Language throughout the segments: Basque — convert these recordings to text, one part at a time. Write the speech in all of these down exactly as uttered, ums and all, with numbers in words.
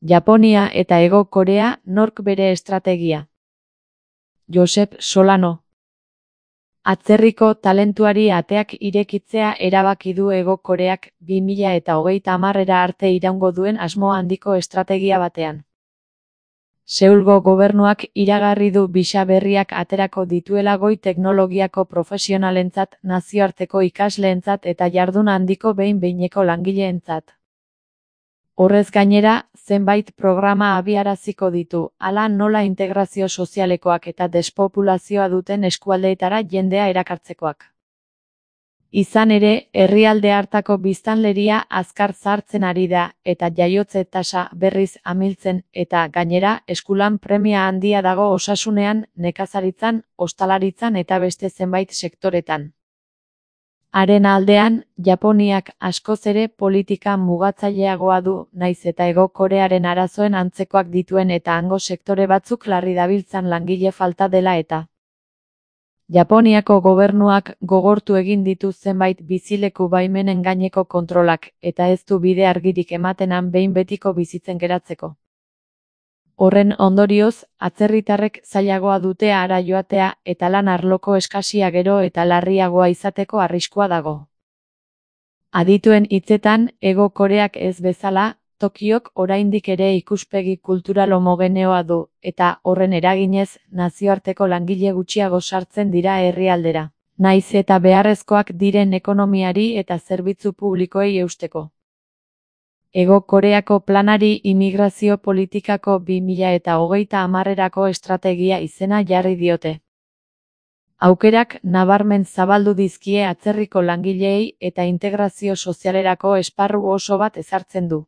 Japonia eta Hego Korea, nork bere estrategia. Josep Solano. Atzerriko talentuari ateak irekitzea erabaki du Hego Koreak bi mila eta hogeita hamarera arte iraungo duen asmo handiko estrategia batean. Seulgo gobernuak iragarri du bisa berriak aterako dituela goi teknologiako profesionalentzat, nazioarteko ikasleentzat eta jardun handiko behin-behineko langileentzat. Horrez gainera, zenbait programa abiaraziko ditu, hala nola integrazio sozialekoak eta despopulazioa duten eskualdeetara jendea erakartzekoak. Izan ere, herrialde hartako biztanleria azkar zahartzen ari da, eta jaiotze tasa berriz amiltzen, eta gainera, eskulan premia handia dago osasunean, nekazaritzan, ostalaritzan eta beste zenbait sektoretan. Haren aldean, Japoniak askoz ere politika mugatzaileagoa du, naiz eta Hego Korearen arazoen antzekoak dituen eta hango sektore batzuk larri dabiltzan langile falta dela eta. Japoniako gobernuak gogortu egin ditu zenbait bizileku baimenen gaineko kontrolak, eta ez du bide argirik ematenan behin betiko bizitzen geratzeko. Horren ondorioz, atzerritarrek zailagoa dute hara joatea eta lan arloko eskasia gero eta larriagoa izateko arriskua dago. Adituen hitzetan, Hego Koreak ez bezala, Tokiok oraindik ere ikuspegi kultural homogeneoa du, eta horren eraginez, nazioarteko langile gutxiago sartzen dira herrialdera, naiz eta beharrezkoak diren ekonomiari eta zerbitzu publikoei eusteko. Hego Koreako planari imigrazio politikako bi mila eta hogeita hamarrerako estrategia izena jarri diote. Aukerak nabarmen zabaldu dizkie atzerriko langileei eta integrazio sozialerako esparru oso bat ezartzen du.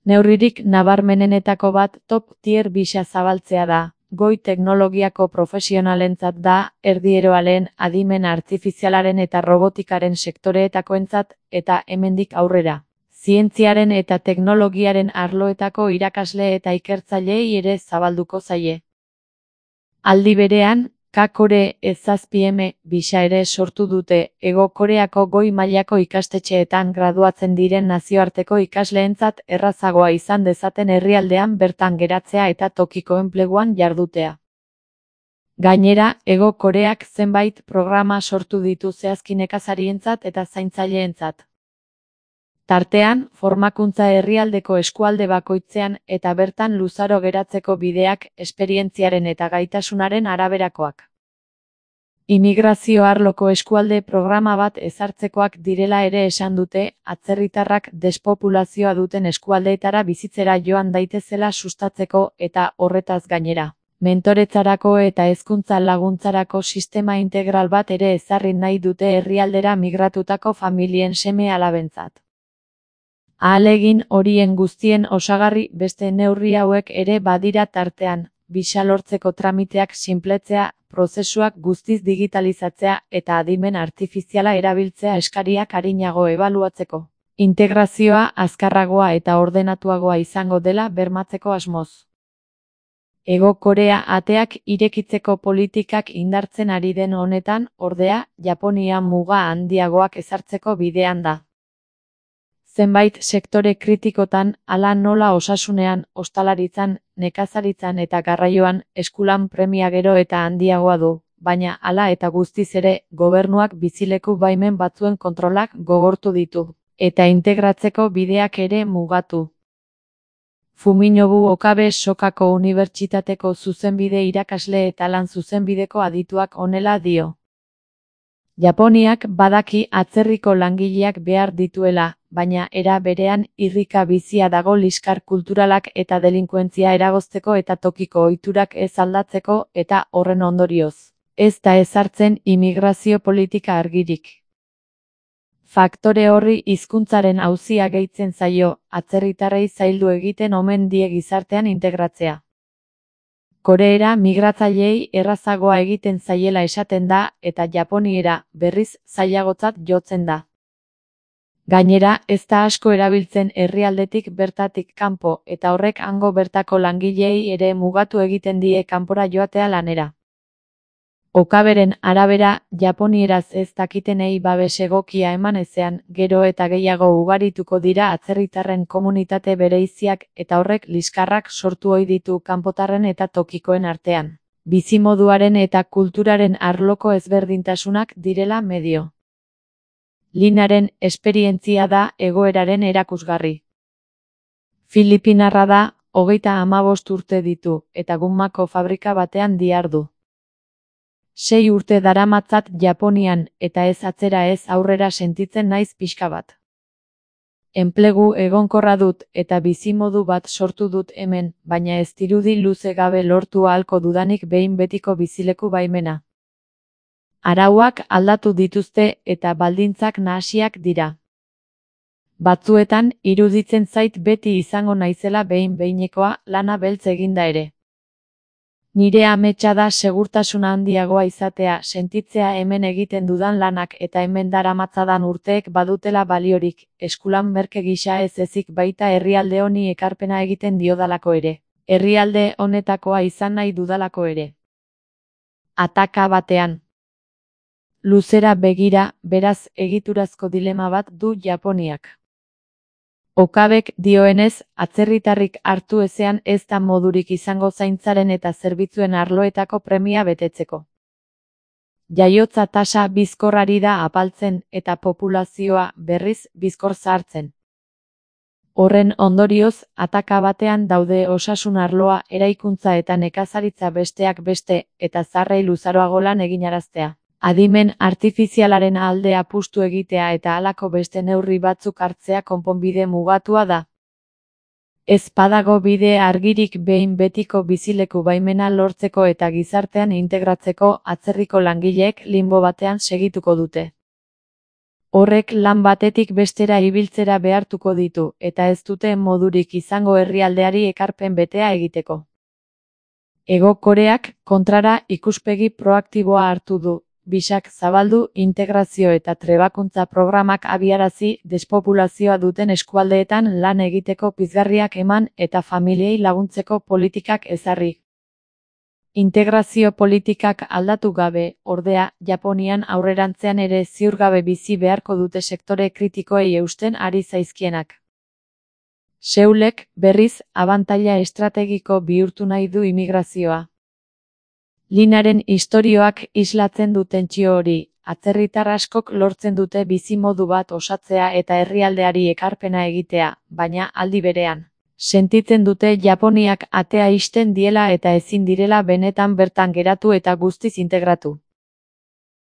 Neurririk nabarmenenetako bat top tier bisa zabaltzea da, goi teknologiako profesionalentzat da, erdieroalen, adimen artifizialaren eta robotikaren sektoreetakoentzat eta hemendik aurrera. Zientziaren eta teknologiaren arloetako irakasle eta ikertzaileei ere zabalduko zaie. Aldi berean, K-Kore ez zazpi eme bisa ere sortu dute Hego Koreako goi mailako ikastetxeetan graduatzen diren nazioarteko ikasleentzat errazagoa izan dezaten herrialdean bertan geratzea eta tokiko enpleguan jardutea. Gainera, Hego Koreak zenbait programa sortu ditu zehazki nekazarientzat eta zaintzaileentzat. Tartean, formakuntza herrialdeko eskualde bakoitzean eta bertan luzaro geratzeko bideak, esperientziaren eta gaitasunaren araberakoak. Imigrazio arloko eskualde programa bat ezartzekoak direla ere esan dute, atzerritarrak despopulazioa duten eskualdeetara bizitzera joan daitezela sustatzeko eta horretaz gainera. Mentoretzarako eta hezkuntza laguntzarako sistema integral bat ere ezarri nahi dute herrialdera migratutako familien seme alabentzat. Ahalegin horien guztien osagarri beste neurri hauek ere badira tartean, bisa lortzeko tramiteak sinpletzea, prozesuak guztiz digitalizatzea eta adimen artifiziala erabiltzea eskariak arinago ebaluatzeko. Integrazioa azkarragoa eta ordenatuagoa izango dela bermatzeko asmoz. Hego Korea ateak irekitzeko politikak indartzen ari den honetan, ordea, Japonia muga handiagoak ezartzeko bidean da. Zenbait sektore kritikotan, hala nola osasunean, ostalaritzan, nekazaritzan eta garraioan, eskulan premia gero eta handiagoa du, baina hala eta guztiz ere, gobernuak bizileku baimen batzuen kontrolak gogortu ditu, eta integratzeko bideak ere mugatu. Fuminobu Okabe Sokako Unibertsitateko zuzenbide irakasle eta lan zuzenbideko adituak honela dio. Japoniak badaki atzerriko langileak behar dituela, baina era berean irrika bizia dago liskar kulturalak eta delinkuentzia eragozteko eta tokiko ohiturak ez aldatzeko eta horren ondorioz. Ez da ezartzen imigrazio politika argirik. Faktore horri hizkuntzaren auzia gehitzen zaio, atzerritarrei zaildu egiten omen die gizartean integratzea. Koreera migratzaileei errazagoa egiten zaiela esaten da eta Japoniera berriz zailagotzat jotzen da. Gainera, ez da asko erabiltzen herrialdetik bertatik kanpo eta horrek hango bertako langileei ere mugatu egiten die kanpora joatea lanera. Okaberen arabera, japonieraz ez dakitenei babes egokia eman ezean, gero eta gehiago ugarituko dira atzerritarren komunitate bereiziak eta horrek liskarrak sortu ohi ditu kanpotarren eta tokikoen artean. Bizimoduaren eta kulturaren arloko ezberdintasunak direla medio. Linaren esperientzia da egoeraren erakusgarri. Filipinarra da, hogeita hamabost urte ditu, eta gumako fabrika batean dihardu. Sei urte daramatzat Japonian, eta ez atzera ez aurrera sentitzen naiz pixka bat. Enplegu egonkorra dut eta bizimodu bat sortu dut hemen, baina ez dirudi luze gabe lortu ahalko dudanik behin betiko bizileku baimena. Arauak aldatu dituzte eta baldintzak nahasiak dira. Batzuetan, iruditzen zait beti izango naizela behin-behinekoa lana beltz eginda ere. Nire ametsa da segurtasuna handiagoa izatea, sentitzea hemen egiten dudan lanak eta hemen daramatzadan urteek badutela baliorik, eskulan merke gisa ez ezik baita herrialde honi ekarpena egiten diodalako ere. Herrialde honetakoa izan nahi dudalako ere. Ataka batean. Luzera begira, beraz egiturazko dilema bat du Japoniak. Okabek dioenez, atzerritarrik hartu ezean ez da modurik izango zaintzaren eta zerbitzuen arloetako premia betetzeko. Jaiotza tasa bizkorrari da apaltzen eta populazioa berriz bizkor zahartzen. Horren ondorioz, ataka batean daude osasun arloa, eraikuntza eta nekazaritza besteak beste, eta zarrei luzaroago lan eginaraztea. Adimen artifizialaren alde apustu egitea eta halako beste neurri batzuk hartzea konponbide mugatua da. Ez badago bide argirik behin betiko bizileku baimena lortzeko eta gizartean integratzeko, atzerriko langileek limbo batean segituko dute. Horrek lan batetik bestera ibiltzera behartuko ditu, eta ez dute modurik izango herrialdeari ekarpen betea egiteko. Hego Koreak, kontrara, ikuspegi proaktiboa hartu du. Bisak zabaldu, integrazio eta trebakuntza programak abiarazi, despopulazioa duten eskualdeetan lan egiteko pizgarriak eman eta familiei laguntzeko politikak ezarri. Integrazio politikak aldatu gabe, ordea, Japonian aurrerantzean ere ziurgabe bizi beharko dute sektore kritikoei eusten ari zaizkienak. Seulek, berriz, abantaila estrategiko bihurtu nahi du imigrazioa. Linaren istorioak islatzen du tentsio hori, atzerritar askok lortzen dute bizimodu bat osatzea eta herrialdeari ekarpena egitea, baina aldi berean. Sentitzen dute Japoniak atea ixten diela eta ezin direla benetan bertan geratu eta guztiz integratu.